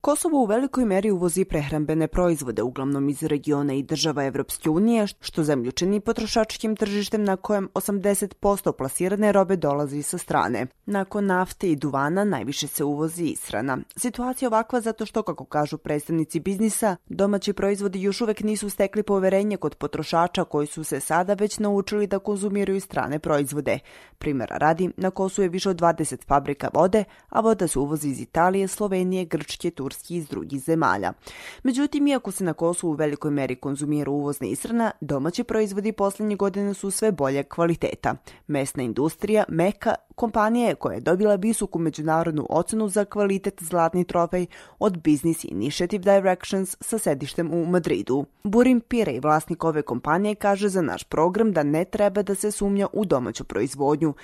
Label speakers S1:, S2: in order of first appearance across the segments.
S1: Kosovo u velikoj meri uvozi prehrambene proizvode, uglavnom iz regiona i država Evropske unije, što zemlju čini potrošačkim tržištem na kojem 80% plasirane robe dolazi sa strane. Nakon nafte i duvana najviše se uvozi ishrana. Situacija je ovakva zato što, kako kažu predstavnici biznisa, domaći proizvodi još uvek nisu stekli poverenje kod potrošača koji su se sada već naučili da konzumiraju strane proizvode. Primjera radi, na Kosovu je više od 20 fabrika vode, a voda se uvozi iz Italije, Slovenije, Grčke, Turski i iz drugih zemalja. Međutim, iako se na Kosovu u velikoj meri konzumira uvozna ishrana, domaći proizvodi posljednje godine su sve bolje kvaliteta. Mesna industrija, Meka, kompanija je koja je dobila visoku međunarodnu ocenu za kvalitet zlatni trofej od Business Initiative Directions sa sedištem u Madridu. Burim Pirej, vlasnik ove kompanije, kaže za naš program da ne treba da se sumnja u domaću proizvodnju.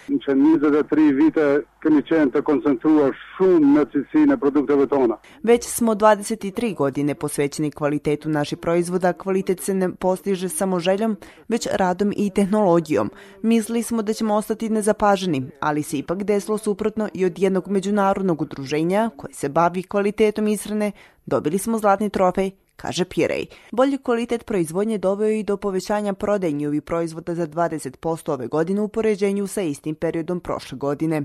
S1: Već smo 23 godine posvećeni kvalitetu naših proizvoda. Kvalitet se ne postiže samo željom, već radom i tehnologijom. Mislili smo da ćemo ostati nezapaženi, ali se ipak desilo suprotno i od jednog međunarodnog udruženja koji se bavi kvalitetom ishrane dobili smo zlatni trofej, kaže Pirej. Bolji kvalitet proizvodnje doveo i do povećanja prodaje njihovih proizvoda za 20% ove godine u poređenju sa istim periodom prošle godine.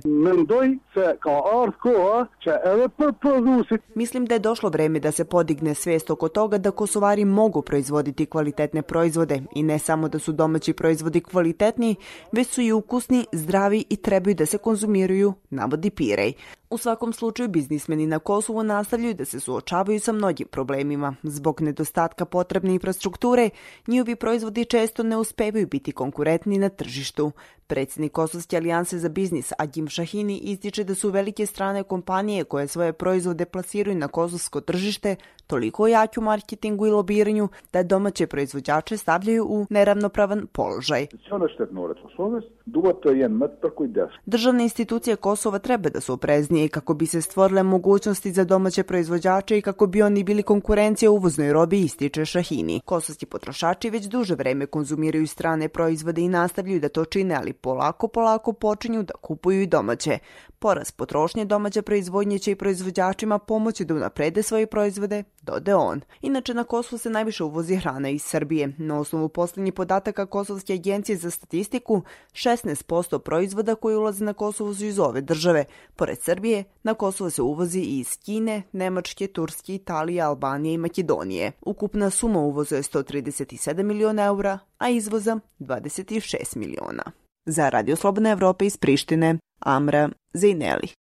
S1: Mislim da je došlo vreme da se podigne svijest oko toga da Kosovari mogu proizvoditi kvalitetne proizvode i ne samo da su domaći proizvodi kvalitetni, već su i ukusni, zdravi i trebaju da se konzumiraju, navodi Pirej. U svakom slučaju, biznismeni na Kosovu nastavljaju da se suočavaju sa mnogim problemima. Zbog nedostatka potrebne infrastrukture, njihovi proizvodi često ne uspevaju biti konkurentni na tržištu. Predsjednik Kosovske alijanse za biznis Agim Šahini ističe da su velike strane kompanije koje svoje proizvode plasiraju na kosovsko tržište toliko jaki u marketingu i lobiranju da domaće proizvođače stavljaju u neravnopravan položaj. Državne institucije Kosova treba da su opreznije kako bi se stvorile mogućnosti za domaće proizvođače i kako bi oni bili konkurencija uvoznoj robi, ističe Šahini. Kosovski potrošači već duže vreme konzumiraju strane proizvode i nastavljaju da to čine, ali polako počinju da kupuju i domaće. Porast potrošnje domaće proizvodnje će i proizvođačima pomoći da unaprede svoje proizvode, dode on. Inače, na Kosovu se najviše uvozi hrana iz Srbije. Na osnovu posljednjih podataka Kosovske agencije za statistiku, 16% proizvoda koji ulaze na Kosovo su iz ove države. Pored Srbije, na Kosovo se uvozi i iz Kine, Nemačke, Turske, Italije, Albanije i Makedonije. Ukupna suma uvoza je 137 miliona eura, a izvoza 26 miliona. Za Radio Slobodna Evropa iz Prištine, Amra Zejneli.